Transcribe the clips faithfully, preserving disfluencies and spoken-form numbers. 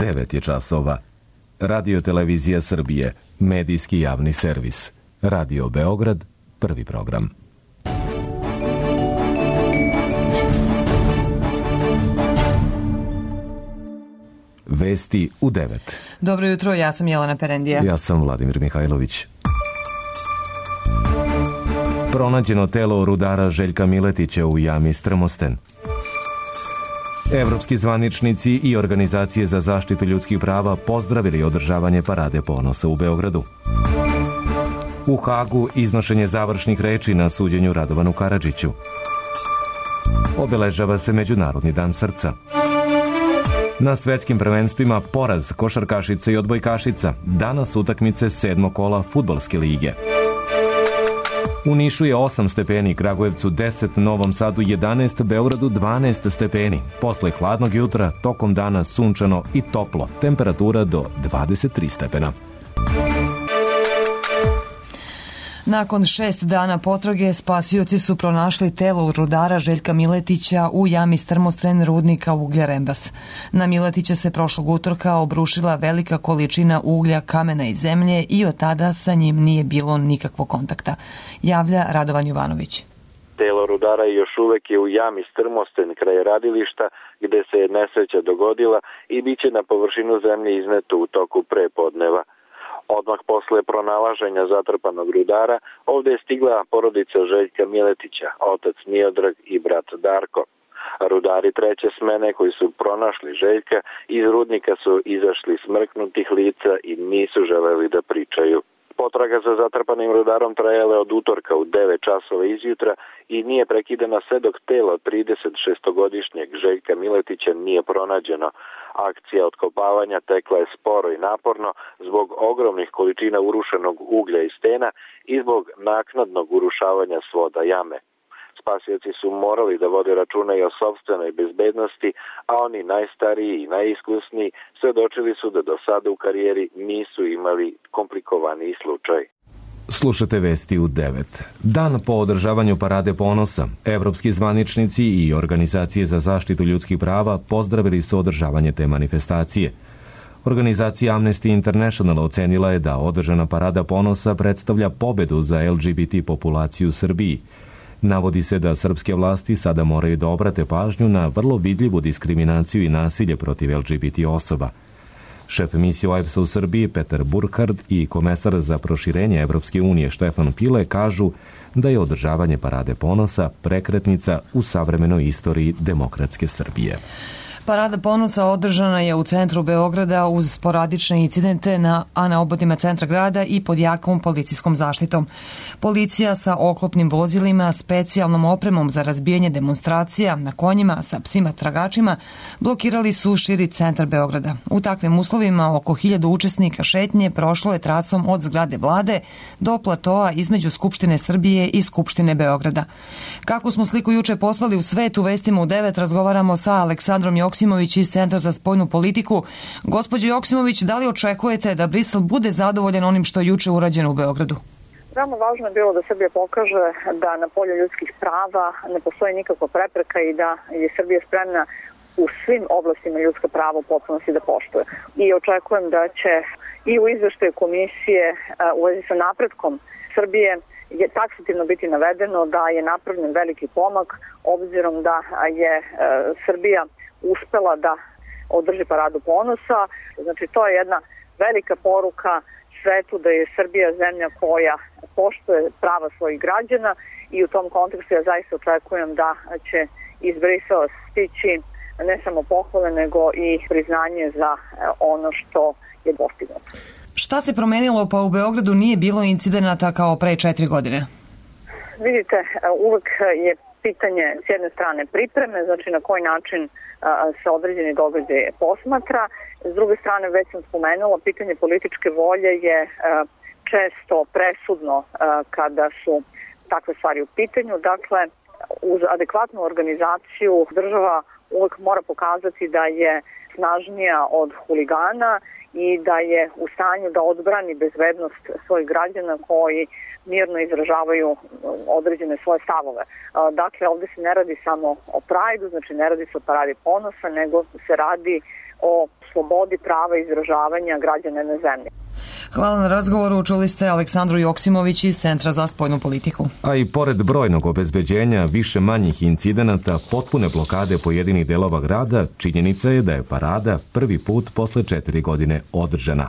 devet je časova. Radio Televizija Srbije, medijski javni servis. Radio Beograd, prvi program. Vesti u devet. Dobro jutro, ja sam Jelena Perendija. Ja sam Vladimir Mihajlović. Pronađeno telo rudara Željka Miletića u jami Strmosten. Evropski zvaničnici i organizacije za zaštitu ljudskih prava pozdravili održavanje Parade ponosa u Beogradu. U Hagu iznošenje završnih reči na suđenju Radovanu Karadžiću. Obeležava se Međunarodni dan srca. Na svetskim prvenstvima poraz košarkašica i odbojkašica. Danas utakmice sedmog kola fudbalske lige. U Nišu je osam stepeni, Kragujevcu deset, Novom Sadu jedanaest, Beogradu dvanaest stepeni. Posle hladnog jutra, tokom dana sunčano i toplo. Temperatura do dvadeset tri stepena. Nakon šest dana potrage, spasioci su pronašli telo rudara Željka Miletića u jami Strmosten rudnika uglja Rembas. Na Miletića se prošlog utorka obrušila velika količina uglja, kamena i zemlje i od tada sa njim nije bilo nikakvog kontakta, javlja Radovan Jovanović. Telo rudara još uvek je u jami Strmosten kraj radilišta gde se nesreća dogodila i biće na površinu zemlje izneto u toku prepodneva. Odmah posle pronalaženja zatrpanog rudara, ovde je stigla porodica Željka Miletića, otac Miodrag i brat Darko. Rudari treće smene koji su pronašli Željka iz rudnika su izašli smrknutih lica i nisu želeli da pričaju. Potraga za zatrpanim rudarom trajala od utorka u devet časova izjutra i nije prekidana sve dok telo trideset šestogodišnjeg Željka Miletića nije pronađeno. Akcija otkopavanja tekla je sporo i naporno zbog ogromnih količina urušenog uglja i stena i zbog naknadnog urušavanja svoda jame. Spasioci su morali da vode računa i o sopstvenoj bezbednosti, a oni najstariji i najiskusniji svedočili su da do sada u karijeri nisu imali komplikovaniji slučaj. Slušate vesti u devet. Dan po održavanju Parade ponosa, evropski zvaničnici i organizacije za zaštitu ljudskih prava pozdravili su održavanje te manifestacije. Organizacija Amnesty International ocenila je da održana Parada ponosa predstavlja pobedu za L G B T populaciju u Srbiji. Navodi se da srpske vlasti sada moraju da obrate pažnju na vrlo vidljivu diskriminaciju i nasilje protiv L G B T osoba. Šef misije O E B S-a u Srbiji Petar Burkhard i komesar za proširenje Evropske unije Štefan Pile kažu da je održavanje Parade ponosa prekretnica u savremenoj istoriji demokratske Srbije. Parada ponosa održana je u centru Beograda uz sporadične incidente, na, a na obodima centra grada i pod jakom policijskom zaštitom. Policija sa oklopnim vozilima, specijalnom opremom za razbijanje demonstracija, na konjima sa psima tragačima, blokirali su širi centar Beograda. U takvim uslovima oko hiljadu učesnika šetnje prošlo je trasom od zgrade vlade do platoa između Skupštine Srbije i Skupštine Beograda. Kako smo sliku juče poslali u svet, u vestima u devet razgovaramo sa Aleksandrom Joksimović iz Centra za spoljnu politiku. Gospođo Joksimović, da li očekujete da Brisel bude zadovoljan onim što je juče urađeno u Beogradu? Veoma važno je bilo da Srbija pokaže da na polju ljudskih prava ne postoji nikakva prepreka i da je Srbija spremna u svim oblastima ljudska prava u potpunosti da poštuje. I očekujem da će i u izveštaju komisije u vezi sa napretkom Srbije je taksativno biti navedeno da je napravljen veliki pomak obzirom da je Srbija uspela da održi Paradu ponosa. Znači, to je jedna velika poruka svetu da je Srbija zemlja koja poštuje prava svojih građana i u tom kontekstu ja zaista očekujem da će iz Brisela stići ne samo pohvale nego i priznanje za ono što je postignuto. Šta se promenilo pa u Beogradu nije bilo incidenata kao pre četiri godine? Vidite, uvek je pitanje s jedne strane pripreme, znači na koji način se određeni događaj posmatra. S druge strane, već sam spomenula, pitanje političke volje je često presudno kada su takve stvari u pitanju. Dakle, uz adekvatnu organizaciju država uvek mora pokazati da je snažnija od huligana i da je u stanju da odbrani bezbednost svojih građana koji mirno izražavaju određene svoje stavove. Dakle, ovde se ne radi samo o Prajdu, znači ne radi se o Paradi ponosa, nego se radi o slobodi prava izražavanja građana na zemlji. Hvala na razgovoru. Čuli ste Aleksandru Joksimović iz Centra za spoljnu politiku. A i pored brojnog obezbeđenja više manjih incidenata, potpune blokade pojedinih delova grada, činjenica je da je parada prvi put posle četiri godine održana.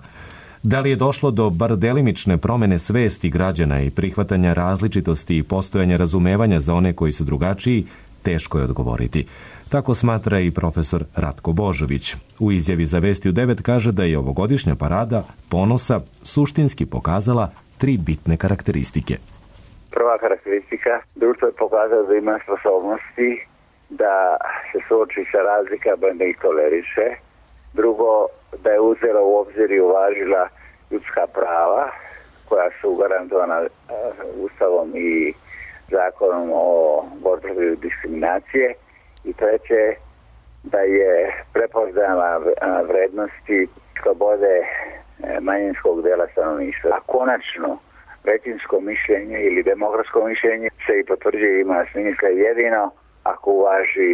Da li je došlo do bar delimične promene svesti građana i prihvatanja različitosti i postojanja razumevanja za one koji su drugačiji, teško je odgovoriti. Tako smatra i profesor Ratko Božović. U izjavi za Vesti u devet kaže da je ovogodišnja parada ponosa suštinski pokazala tri bitne karakteristike. Prva karakteristika, društvo je pokazalo da ima sposobnosti da se suoči sa razlikama i da ih toleriše. Drugo, da je uzela u obzir i uvažila ljudska prava koja su garantovana Ustavom i zakonom o borbi protiv diskriminacije. I treće, da je prepoznala vrednosti slobode manjinskog dela stanovništva. A konačno, većinsko mišljenje ili demokratsko mišljenje se i potvrđuje ima smisla jedino ako uvaži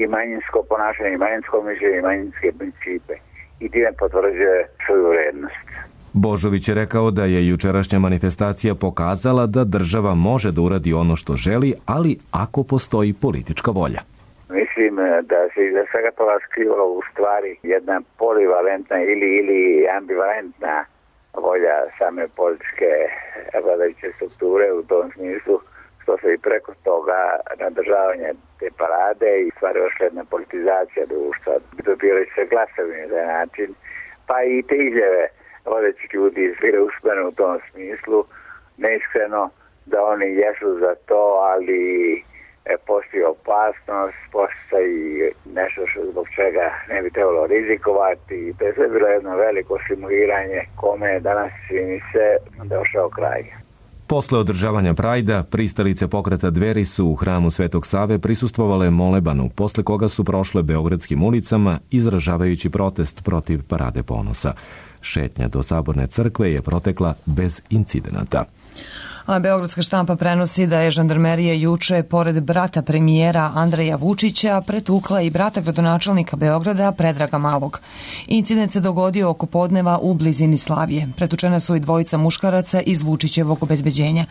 i manjinsko ponašanje, i manjinsko mišljenje, i manjinske principe. I time potvrđuje svoju vrednost. Božović je rekao da je jučerašnja manifestacija pokazala da država može da uradi ono što želi, ali ako postoji politička volja. Mislim da se iza svega toga skrivalo u stvari jedna polivalentna ili, ili ambivalentna volja same političke vladajuće strukture u tom smislu, što se i preko toga nadržavanje te parade i stvari još jedna politizacija društva. Dobijali se glasovi na taj način, pa i te izjave vodećih ljudi izvire usmene u tom smislu, neiskreno da oni jesu za to, ali postoji opasnost, postoji nešto što zbog čega ne bi trebalo rizikovati. To je sve bilo jedno veliko simuliranje kome je danas, čini se, došao kraj. Posle održavanja Prajda, pristalice pokreta Dveri su u hramu Svetog Save prisustvovale molebanu, posle koga su prošle beogradskim ulicama izražavajući protest protiv Parade ponosa. Šetnja do Saborne crkve je protekla bez incidenata. A Beogradska štampa prenosi da je žandarmerija juče, pored brata premijera Andreja Vučića, pretukla i brata gradonačelnika Beograda Predraga Malog. Incident se dogodio oko podneva u blizini Slavije. Pretučena su i dvojica muškaraca iz Vučićevog obezbeđenja.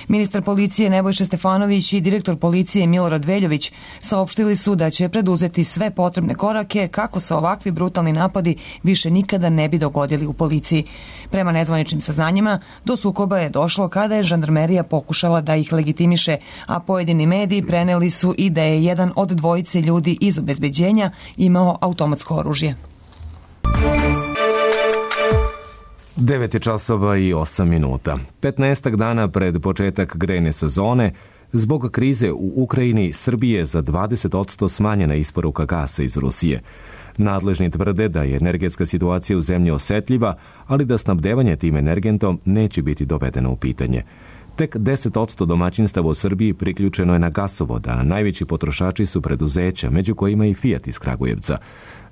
Ministar policije Nebojša Stefanović i direktor policije Milorad Veljović saopštili su da će preduzeti sve potrebne korake kako se ovakvi brutalni napadi više nikada ne bi dogodili u policiji. Prema nezvaničnim saznanjima, do sukoba je došlo kada je žandarmerija pokušala da ih legitimiše, a pojedini mediji preneli su i da je jedan od dvojice ljudi iz obezbeđenja imao automatsko oružje. devet je časova i osam minuta. petnaestak dana pred početak grejne sezone, zbog krize u Ukrajini, Srbije za dvadeset posto smanjena isporuka gasa iz Rusije. Nadležni tvrde da je energetska situacija u zemlji osetljiva, ali da snabdevanje tim energentom neće biti dovedeno u pitanje. Tek deset posto domaćinstava u Srbiji priključeno je na gasovod, a najveći potrošači su preduzeća, među kojima i Fiat iz Kragujevca.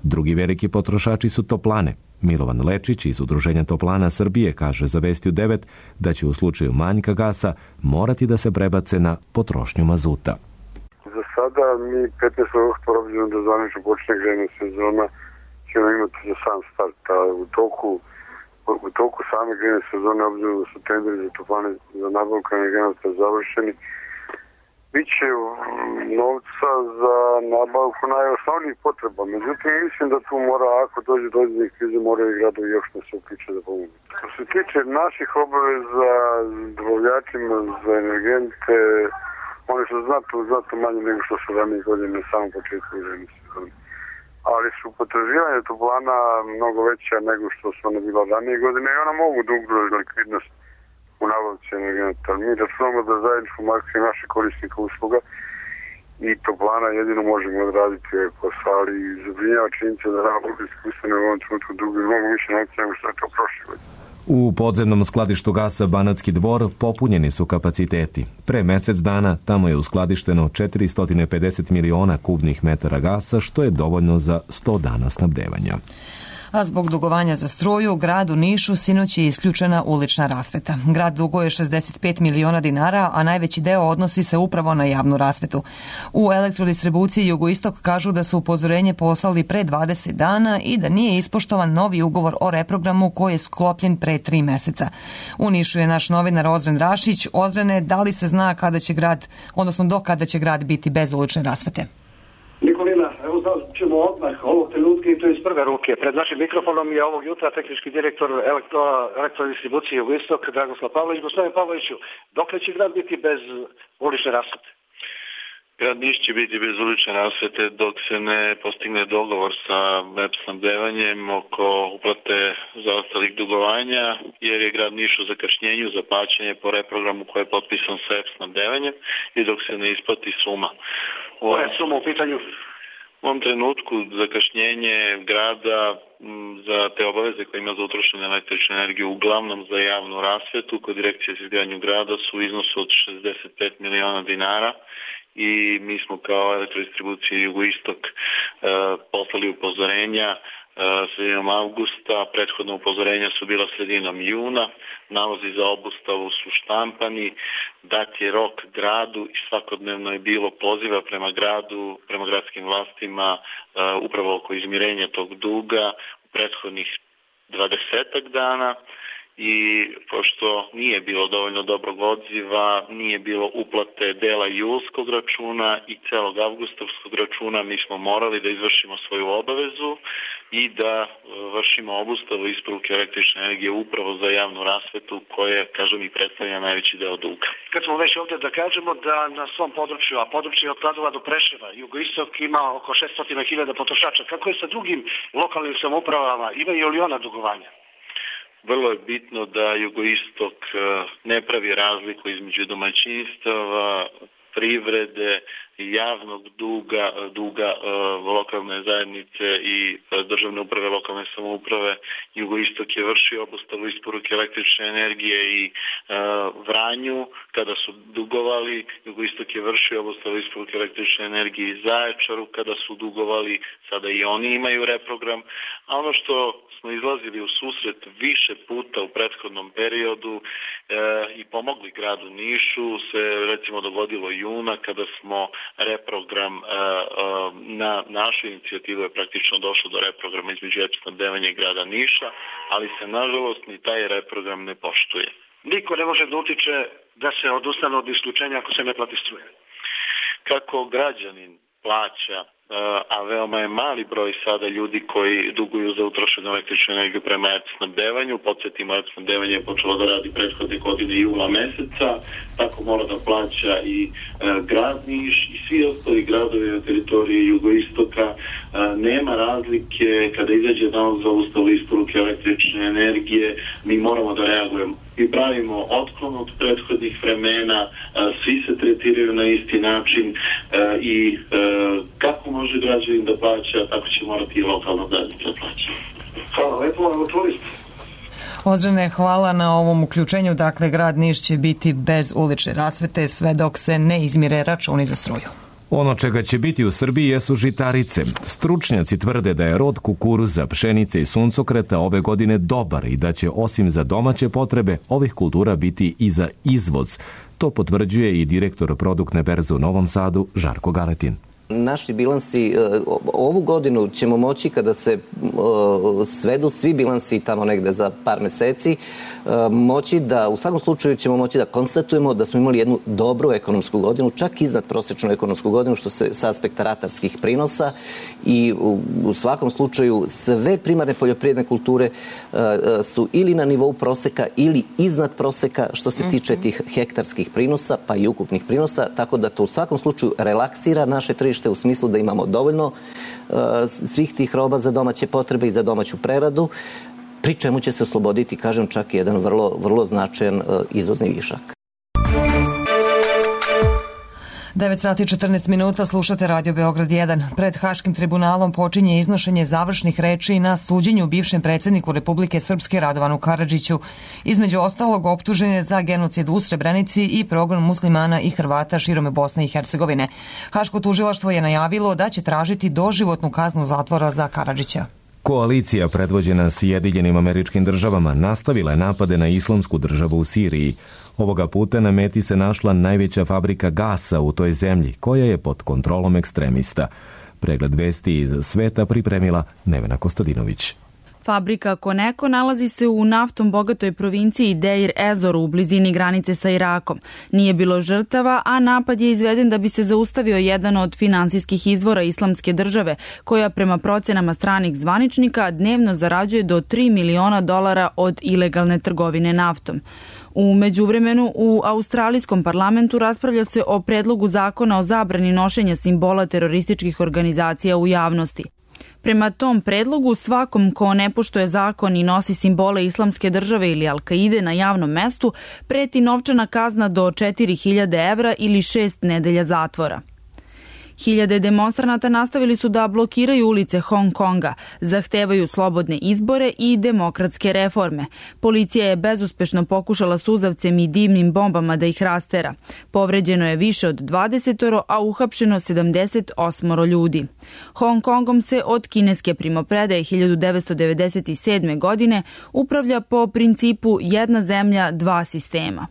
Drugi veliki potrošači su toplane. Milovan Lečić iz Udruženja toplana Srbije kaže za Vesti u devet da će u slučaju manjka gasa morati da se prebace na potrošnju mazuta. Za sada mi petnaestog oktobra, obzirom da zvanično počne grejna sezona, ćemo imati za sam start, a u toku u toku same grejne sezone, obzirom da su tenderi za toplane za nabavku energenata završeni, biće novca za nabavku najosnovnijih potreba. Međutim, mislim da tu mora, ako dođe do određenih krize, moraju i gradovi još da se uključe da pomogu. Što se tiče naših obaveza dobavljačima za energente, oni su znatno, znatno manje nego što su ranije godine na samom početku grejne sezone. Ali su potraživanja toplana mnogo veća nego što su ona bila ranije godine i ona mogu da ugroze likvidnost u nabavci energenata. Mi računamo da zajedničkom akciju naše korisnika usluga i toplana jedino možemo odraditi posao, ali zabrinjava činjenica da nabavljski ustanove u ovom trenutku dugo mnogo više novca nego što je to prošle godine. U podzemnom skladištu gasa Banatski Dvor popunjeni su kapaciteti. Pre mesec dana tamo je uskladišteno četiristo pedeset miliona kubnih metara gasa, što je dovoljno za sto dana snabdevanja. A zbog dugovanja za struju, u gradu Nišu sinoć je isključena ulična rasveta. Grad duguje šezdeset pet miliona dinara, a najveći deo odnosi se upravo na javnu rasvetu. U elektrodistribuciji Jugoistok kažu da su upozorenje poslali pre dvadeset dana i da nije ispoštovan novi ugovor o reprogramu koji je sklopljen pre tri meseca. U Nišu je naš novinar Ozren Rašić. Ozrene, da li se zna kada će grad, odnosno do kada će grad biti bez ulične rasvete? Nikolina, evo ćemo odmah ovog trenutka i to iz prve ruke. Pred našim mikrofonom je ovog jutra tehnički direktor elektro, elektrodistribucije Jugoistok, Dragoslav Pavlović. Gospodin Pavloviću, dokle će grad biti bez ulične rasvete? Grad Niš će biti bez ulične rasvete dok se ne postigne dogovor sa E P snabdevanjem oko uplate zaostalih dugovanja, jer je grad Niš u zakašnjenju za plaćanje po reprogramu koji je potpisan sa E P snabdevanjem i dok se ne isplati suma. Koja je suma u pitanju? U ovom trenutku zakašnjenje grada za te obaveze koje ima za utrošenu električnu energiju, uglavnom za javnu rasvetu, kod direkcije za izgradnju grada su u iznosu od šezdeset pet miliona dinara i mi smo kao elektrodistribucija Jugoistok e, poslali upozorenja e, sredinom avgusta, prethodna upozorenja su bila sredinom juna, nalozi za obustavu su štampani, dat je rok gradu i svakodnevno je bilo poziva prema gradu, prema gradskim vlastima e, upravo oko izmirenja tog duga u prethodnih dvadesetak dana. I pošto nije bilo dovoljno dobrog odziva, nije bilo uplate dela julskog računa i celog avgustovskog računa, mi smo morali da izvršimo svoju obavezu i da vršimo obustavu isporuke električne energije upravo za javnu rasvetu koja, kažem, i predstavlja najveći deo duga. Kad smo već ovdje da kažemo da na svom području, a područje od Kladova do Preševa, Jugoistok ima oko šesto hiljada potrošača. Kako je sa drugim lokalnim samoupravama? Imaju li ona dugovanja? Vrlo je bitno da Jugoistok ne pravi razliku između domaćinstava, privrede, javnog duga, duga uh, lokalne zajednice i uh, državne uprave, lokalne samouprave. Jugoistok je vršio obustavu isporuke električne energije i uh, Vranju kada su dugovali. Jugoistok je vršio obustavu isporuke električne energije i Zaječaru kada su dugovali. Sada i oni imaju reprogram. A ono što smo izlazili u susret više puta u prethodnom periodu uh, i pomogli gradu Nišu se recimo dogodilo juna kada smo reprogram uh, uh, na našu inicijativu je praktično došlo do reprograma između E P snabdevanja i grada Niša, ali se nažalost ni taj reprogram ne poštuje. Niko ne može da utiče da se odustane od isključenja ako se ne plati struje. Kako građanin plaća, a veoma je mali broj sada ljudi koji duguju za utrošenu električnu energiju prema E P snabdevanju. Podsjetimo, E P snabdevanje je počelo da radi prethodne godine jula meseca, tako mora da plaća i e, grad Niš i svi ostali gradovi na teritoriji Jugoistoka. E, nema razlike kada izađe nalog za ustavu isporuke električne energije, mi moramo da reagujemo. Mi pravimo otklon od prethodnih vremena, e, svi se tretiraju na isti način e, i e, kako može građanin da plaća, tako će morati i lokalna zajednica da plaća. Hvala lepo, evo turist. Ozrene, hvala na ovom uključenju. Dakle, grad Niš će biti bez ulične rasvete sve dok se ne izmire računi za struju. Ono čega će biti u Srbiji jesu žitarice. Stručnjaci tvrde da je rod kukuruza, pšenice i suncokreta ove godine dobar i da će osim za domaće potrebe ovih kultura biti i za izvoz. To potvrđuje i direktor produktne berze u Novom Sadu, Žarko Galetin. Naši bilansi, ovu godinu ćemo moći kada se svedu svi bilansi tamo negde za par meseci, moći da, u svakom slučaju ćemo moći da konstatujemo da smo imali jednu dobru ekonomsku godinu, čak iznad prosječnu ekonomsku godinu što se sa aspekta ratarskih prinosa i u, u svakom slučaju sve primarne poljoprivredne kulture su ili na nivou proseka ili iznad proseka što se tiče tih hektarskih prinosa pa i ukupnih prinosa, tako da to u svakom slučaju relaksira naše tržište u smislu da imamo dovoljno uh, svih tih roba za domaće potrebe i za domaću preradu, pri čemu će se osloboditi, kažem, čak jedan vrlo, vrlo značajan uh, izvozni višak. devet sati i četrnaest minuta, slušate Radio Beograd jedan. Pred Haškim tribunalom počinje iznošenje završnih reči na suđenju bivšem predsjedniku Republike Srpske Radovanu Karadžiću. Između ostalog optužen je za genocid u Srebrenici i progon muslimana i Hrvata širom Bosne i Hercegovine. Haško tužilaštvo je najavilo da će tražiti doživotnu kaznu zatvora za Karadžića. Koalicija predvođena Sjedinjenim Američkim Državama nastavila je napade na islamsku državu u Siriji. Ovoga puta na meti se našla najveća fabrika gasa u toj zemlji, koja je pod kontrolom ekstremista. Pregled vesti iz sveta pripremila Nevena Kostadinović. Fabrika Koneko nalazi se u naftom bogatoj provinciji Deir Ezor u blizini granice sa Irakom. Nije bilo žrtava, a napad je izveden da bi se zaustavio jedan od finansijskih izvora Islamske države, koja prema procenama stranih zvaničnika dnevno zarađuje do tri miliona dolara od ilegalne trgovine naftom. U međuvremenu, u australijskom parlamentu raspravlja se o predlogu zakona o zabrani nošenja simbola terorističkih organizacija u javnosti. Prema tom predlogu, svakom ko ne poštuje zakon i nosi simbole Islamske države ili Al-Kaide na javnom mestu, preti novčana kazna do četiri hiljade evra ili šest nedelja zatvora. Hiljade demonstranata nastavili su da blokiraju ulice Hong Konga, zahtevaju slobodne izbore i demokratske reforme. Policija je bezuspešno pokušala suzavcem i dimnim bombama da ih rastera. Povređeno je više od dvadesetoro, a uhapšeno sedamdeset osam ljudi. Hong Kongom se od kineske primopredaje hiljadu devetsto devedeset sedme. godine upravlja po principu jedna zemlja, dva sistema.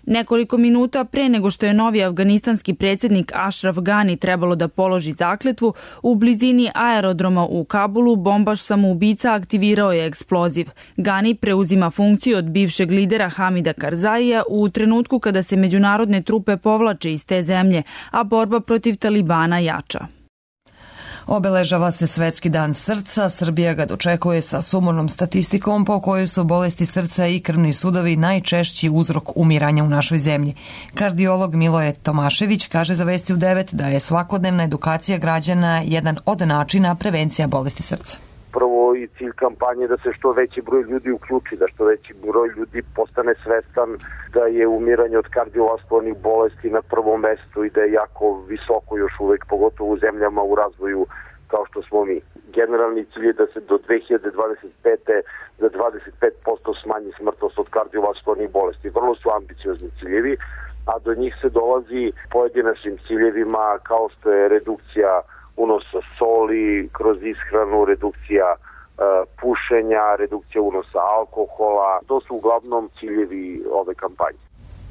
Nekoliko minuta pre nego što je novi afganistanski predsjednik Ashraf Ghani trebalo da položi zakletvu, u blizini aerodroma u Kabulu bombaš samoubica aktivirao je eksploziv. Ghani preuzima funkciju od bivšeg lidera Hamida Karzaija u trenutku kada se međunarodne trupe povlače iz te zemlje, a borba protiv Talibana jača. Obeležava se Svetski dan srca. Srbija ga dočekuje sa sumornom statistikom po kojoj su bolesti srca i krvni sudovi najčešći uzrok umiranja u našoj zemlji. Kardiolog Miloje Tomašević kaže za Vesti u devet da je svakodnevna edukacija građana jedan od načina prevencija bolesti srca. Prvo i cilj kampanje da se što veći broj ljudi uključi, da što veći broj ljudi postane svestan da je umiranje od kardiovaskularnih bolesti na prvom mestu i da je jako visoko još uvek, pogotovo u zemljama u razvoju kao što smo mi. Generalni cilj je da se do dve hiljade dvadeset pete. za dvadeset pet posto smanji smrtnost od kardiovaskularnih bolesti. Vrlo su ambiciozni ciljevi, a do njih se dolazi pojedinačnim ciljevima kao što je redukcija unosa soli kroz ishranu, redukcija e, pušenja, redukcija unosa alkohola. To su uglavnom ciljevi ove kampanje.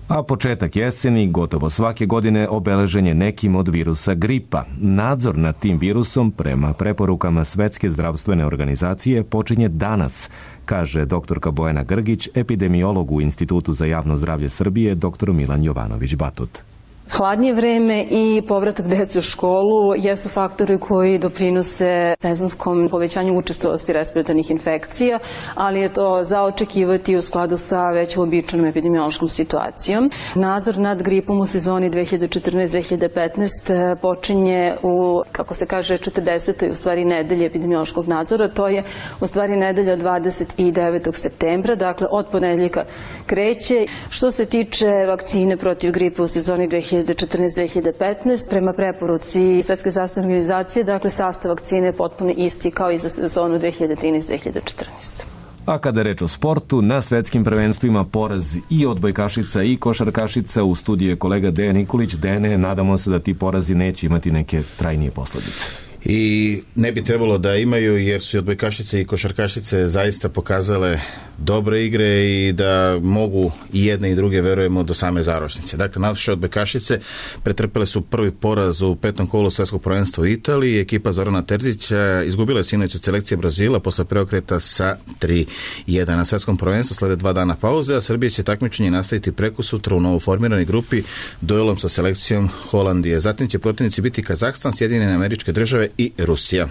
A početak jeseni, gotovo svake godine, obeležen je nekim od virusa gripa. Nadzor nad tim virusom, prema preporukama Svetske zdravstvene organizacije, počinje danas, kaže doktorka Bojana Grgić, epidemiolog u Institutu za javno zdravlje Srbije, doktor Milan Jovanović-Batut. Hladnije vreme i povratak dece u školu jesu faktori koji doprinose sezonskom povećanju učestalosti respiratornih infekcija, ali je to za očekivati u skladu sa već uobičajenom epidemiološkom situacijom. Nadzor nad gripom u sezoni dve hiljade četrnaeste dve hiljade petnaeste. počinje u, kako se kaže, četrdesetoj u stvari nedelje epidemiološkog nadzora. To je u stvari nedelja dvadeset devetog septembra, dakle od ponedeljka kreće. Što se tiče vakcine protiv gripe u sezoni dve hiljade četrnaeste dve hiljade petnaeste. prema preporuci Svetske zdravstvene organizacije, dakle sastav vakcine je potpuno isti kao i za sezonu dve hiljade trinaeste dve hiljade četrnaeste. A kada je reč o sportu, na svetskim prvenstvima poraz i odbojkašica i košarkašica. U studiju je kolega Dejan Nikolić. Dene, nadamo se da ti porazi neće imati neke trajnije posledice. I ne bi trebalo da imaju, jer su i odbojkašice i košarkašice zaista pokazale dobre igre i da mogu i jedne i druge, verujemo, do same završnice. Dakle, naše odbojkašice pretrpele su prvi poraz u petom kolu svetskog prvenstva u Italiji. Ekipa Zorana Terzića izgubila je sinoć od selekcije Brazila posle preokreta sa tri jedan. Na svetskom prvenstvu slede dva dana pauze, a Srbija će takmičenje nastaviti prekosutra u novoformiranoj grupi duelom sa selekcijom Holandije. Zatim će protivnici biti Kazahstan, Sjedinjene Američke Države i Rusija.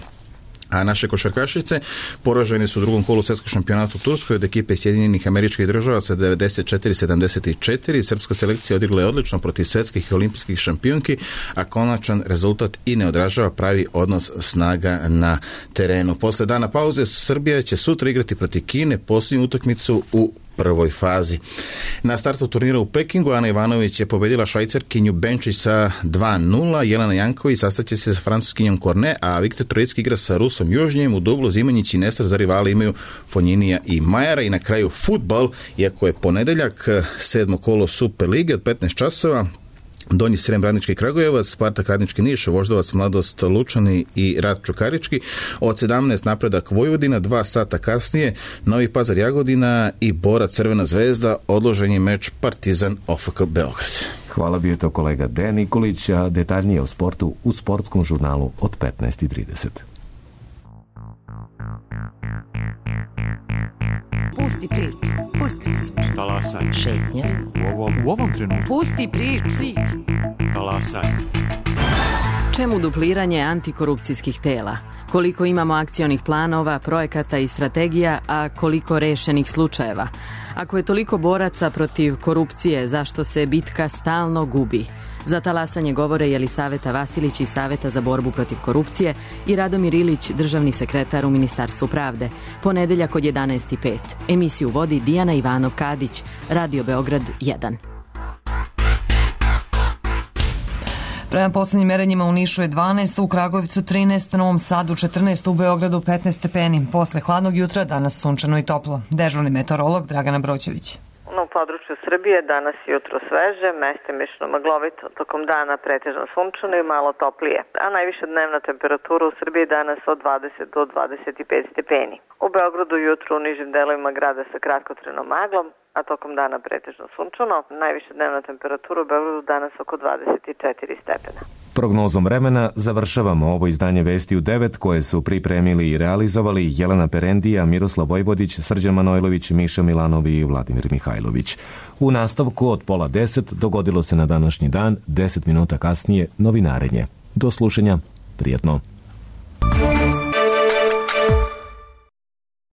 A naše košarkašice poražene su u drugom kolu svetskog šampionata u Turskoj od ekipe Sjedinjenih Američkih Država sa devedeset četiri sedamdeset četiri. Srpska selekcija odigla je odlično protiv svetskih i olimpijskih šampionki, a konačan rezultat i ne odražava pravi odnos snaga na terenu. Posle dana pauze Srbija će sutra igrati protiv Kine posljednju utakmicu u prvoj fazi. Na startu turnira u Pekingu Ana Ivanović je pobedila Švajcarkinju Benčić sa dva nula, Jelena Janković sastaće se sa francuskinjom Korne, a Viktor Trojecki igra sa Rusom Južnjem. U dublu Zimanjić i Nestor za rivale imaju Fonjinija i Majara. I na kraju fudbal, iako je ponedeljak, sedmo kolo Super lige od petnaest časova. Donji Srem, Radnički Kragujevac, Spartak Radnički Niš, Voždovac, Mladost Lučani i Rad Čukarički. Od sedamnaest Napredak Vojvodina, dva sata kasnije Novi Pazar Jagodina i Bora Crvena zvezda, odložen je meč Partizan O F K Beograd. Hvala, bio je to kolega Dejan Nikolić, a detaljnije o sportu u sportskom žurnalu od petnaest i trideset. Pusti priču, pusti priču. Talasaj. Šetnja. U ovom, u ovom trenutku. Pusti priču. priču. Talasaj. Čemu dupliranje antikorupcijskih tela? Koliko imamo akcionih planova, projekata i strategija, a koliko rešenih slučajeva? Ako je toliko boraca protiv korupcije, zašto se bitka stalno gubi? Za talasanje govore Jelisaveta Vasilić iz Saveta za borbu protiv korupcije i Radomir Ilić, državni sekretar u Ministarstvu pravde. Ponedeljak od jedanaest i pet. Emisiju vodi Dijana Ivanov-Kadić, Radio Beograd jedan. Prema poslednjim merenjima u Nišu je dvanaest, u Kragujevcu trinaest, u Novom Sadu četrnaest, u Beogradu petnaest stepeni. Posle hladnog jutra danas sunčano i toplo. Dežurni meteorolog Dragana Broćević. U području Srbije danas jutro sveže, mestimično maglovito, tokom dana pretežno sunčano i malo toplije, a najviša dnevna temperatura u Srbiji danas od dvadeset do dvadeset pet stepeni. U Beogradu jutro u nižim delovima grada sa kratkotrenom maglom, a tokom dana pretežno sunčano, najviša dnevna temperatura u Beogradu danas oko dvadeset četiri stepena. Prognozom vremena završavamo ovo izdanje Vesti u devet koje su pripremili i realizovali Jelena Perendija, Miroslav Vojvodić, Srđan Manojlović, Miša Milanov i Vladimir Mihajlović. U nastavku od pola deset dogodilo se na današnji dan, deset minuta kasnije novinarenje. Do slušanja, prijetno.